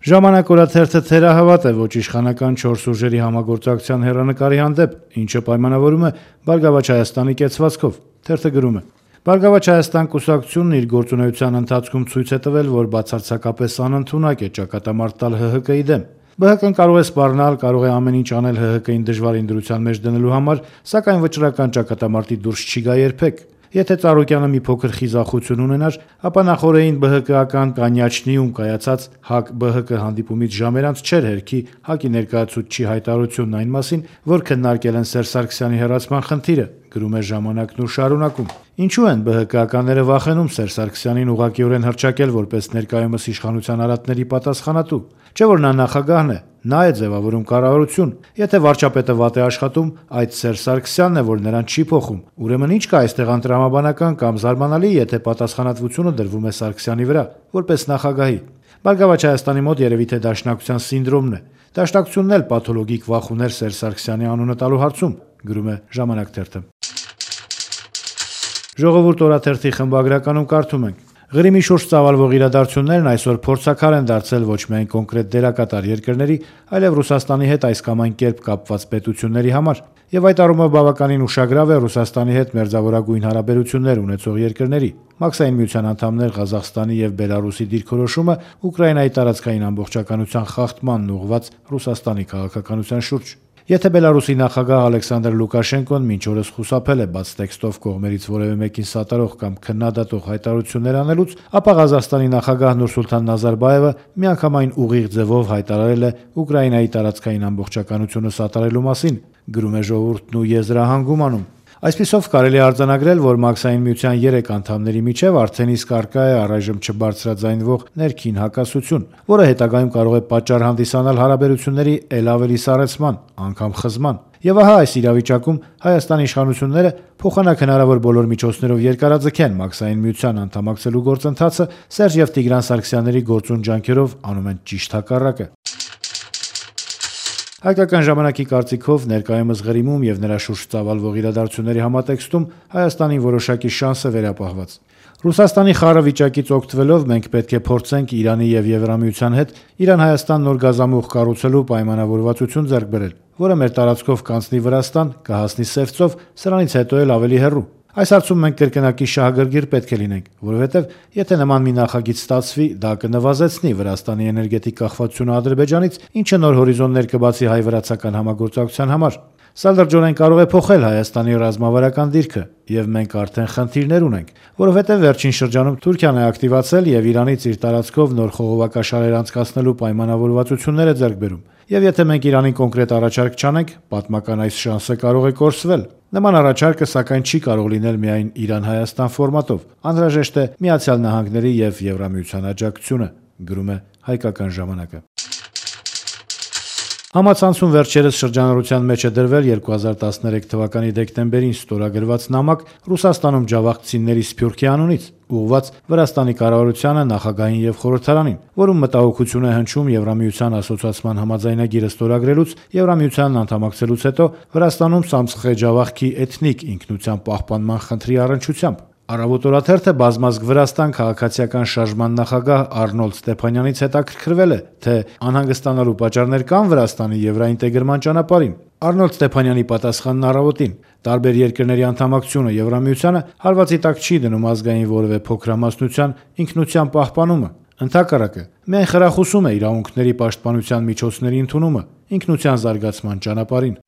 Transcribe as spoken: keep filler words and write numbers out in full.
Ժամանակ օրաթերթը թերահավատ է ոչ իշխանական չորս ուժերի համագործակցության հեռանկարի հանդեպ, ինչը պայմանավորում է Բարգավաճ Հայաստանի կեցվածքով։ Թերթը գրում է. Բարգավաճ Հայաստան կուսակցությունն իր գործունեության ընթացքում ցույց է տվել, որ բացարձակապես անընդունակ է ճակատամարտ տալ ՀՀԿ-ի դեմ։ ԲՀԿ-ն կարող է սպառնալ, կարող է ամեն ինչ անել ՀՀԿ-ին դժվար ինդրության մեջ դնելու համար, սակայն վճռական ճակատամարտի դուրս չի գա երբեք։ Եթե Ծառուկյանը մի փոքր խիզախություն ունենար, ապա նախօրեին ԲՀԿ-ական կանյաչնիում կայացած ՀԱԿ-ԲՀԿ հանդիպումից ժամեր անց չէր հերքի ՀԱԿ-ի ներկայացուցչի հայտարարությունն այն մասին, որ քննարկել են Սերժ Սարգսյանի հեռացման խնդիրը, գրում է Ժամանակն ու շարունակում. Ինչու են ԲՀԿ-ականները վախենում Սերժ Սարգսյանին ուղղակիորեն հռչակել որպես ներկայումս իշխանության արատների պատասխանատու։ Չէ՞ որ նա նախագահն է, նա է ձևավորում կառավարություն։ Եթե վարչապետը վատ է աշխատում, այդ Սերժ Սարգսյանն է, որ նրան չի փոխում։ Ուրեմն ինչ կա այստեղ անտրամաբանական կամ զարմանալի, եթե պատասխանատվությունը դրվում է Սարգսյանի վրա, որպես նախագահի։ Բարգավաճ Հայաստանի մոտ երևի թե դաշնակցության սինդրոմն է։ Դաշնակցությունն էլ պաթոլոգիկ վախ ուներ Սերժ Սարգսյանի անունը տալու հարցում, գրում է Ժամանակ թերթը։ Ժողովուրդ օրաթերթի խմբագրականում կարդում ենք. Ղրիմի շուրջ ծավալվող իրադարձություններն այսօր փորձաքար են դարձել ոչ միայն կոնկրետ դերակատար երկրների, այլև Ռուսաստանի հետ այս կամ այն կերպ կապված պետությունների համար, եւ այդ առումով բավականին ուշագրավ է Ռուսաստանի հետ մերձավորագույն հարաբերություններ ունեցող երկրների, Մաքսային միության անդամներ Ղազախստանի եւ Բելարուսի դիրքորոշումը Ուկրաինայի տարածքային ամբողջականության խախտմանն ուղղված Ռուսաստանի քաղաքականության շուրջ։ Եթե Բելարուսի նախագահ Ալեքսանդր Լուկաշենկոն մինչ օրս խուսափել է բաց տեքստով կողմերից որևէ մեկին սատարող կամ քննադատող հայտարարություններ անելուց, ապա Ղազախստանի նախագահ Նուրսուլտան Նազարբաևը միանգամայն ուղիղ ձևով հայտարարել է Ուկրաինայի տարածքային ամբողջականությունը սատարելու մասին, գրում է Ժողովուրդն ու եզրահանգում անում։ Այսպիսով կարելի է արձանագրել, որ Մաքսային միության երեք անդամների միջև արդեն իսկ առկա է առայժմ չբարձրաձայնվող ներքին հակասություն, որը հետագայում կարող է պատճառ հանդիսանալ հարաբերությունների էլ ավելի սառեցման, անգամ խզման։ Եվ ահա այս իրավիճակում Հայաստանի իշխանությունները փոխանակ հնարավոր բոլոր միջոցներով երկարաձգեն Մաքսային միության անդամակցելու գործընթացը, Սերժ եւ Տիգրան Սարգսյանների գործուն ջանքերով անում են ճիշտ հակառակը։ Հայկական ժամանակի կարծիքով ներկայումս Ղրիմում եւ նրա շուրջ ծավալվող իրադարձությունների համատեքստում Հայաստանի որոշակի շանս է վերապահված։ Ռուսաստանի խառը վիճակից օգտվելով մենք պետք է փորձենք Իրանի եւ Եվրամիության հետ Իրան-Հայաստան նոր գազամուղ կառուցելու պայմանավորվածություն ձեռք բերել, որը մեր տարածքով կանցնի Վրաստան, կհասնի Սևծով, սրանից հետո էլ ավելի հեռու։ Այս հարցում մենք կրկնակի շահագրգիռ պետք է լինենք, որովհետև եթե նման մի նախագիծ ստացվի, դա կնվազեցնի Վրաստանի էներգետիկ կախվածությունը Ադրբեջանից, ինչը նոր հորիզոններ կբացի հայ-վրացական համագործակցության համար։ Սա լրջորեն կարող է փոխել Հայաստանի ռազմավարական դիրքը, եւ մենք արդեն խնդիրներ ունենք, որովհետև վերջին շրջանում Թուրքիան է ակտիվացել եւ Իրանից իր տարածքով նոր խողովակաշարեր անցկացնելու պայմանավորվածություններ է ձեռք բերում։ Եվ եթե մենք Իրանին կոնկրետ առաջարկ չանենք, պատմական այս շանսը կարող է կորսվել։ Նման առաջարկը սակայն չի կարող լինել միայն Իրան-Հայաստան ֆորմատով։ Անհրաժեշտ է Միացյալ Նահանգների եւ Եվրամիության աջակցությունը, գրում է Հայկական ժամանակը։ Համացանցում վերջերս շրջանառության մեջ է դրվել երկու հազար տասներեք թվականի դեկտեմբերին ստորագրված նամակ Ռուսաստանում ջավախցիների Սփյուռքի անունից, ուղղված Վրաստանի կառավարությանը, նախագահին եւ խորհրդարանին, որում մտահոգություն է հնչում Եվրամիության ասոցիացման համաձայնագիրը ստորագրելուց, Եվրամիությանն անդամակցելուց հետո Վրաստանում Սամսխե ջավախքի էթնիկ ինքնության պահպանման խնդրի առնչությամբ։ Առավոտ օրաթերթը բազմազգ Վրաստան քաղաքացիական շարժման նախագահ Արնոլդ Ստեփանյանից հետաքրքրվել է, թե անհանգստանալու պատճառներ կան Վրաստանի եվրաինտեգրման ճանապարհին։ Արնոլդ Ստեփանյանի պատասխանն առավոտին. տարբեր երկրների անդամակցությունը Եվրամիությանը հարվածի տակ չի դնում ազգային որևէ փոքրամասնության ինքնության պահպանումը։ Ընդհակառակը, միայն խրախուսում է իրավունքների պաշտպանության միջոցների ընդունումը ինքնության զարգացման ճանապարհին։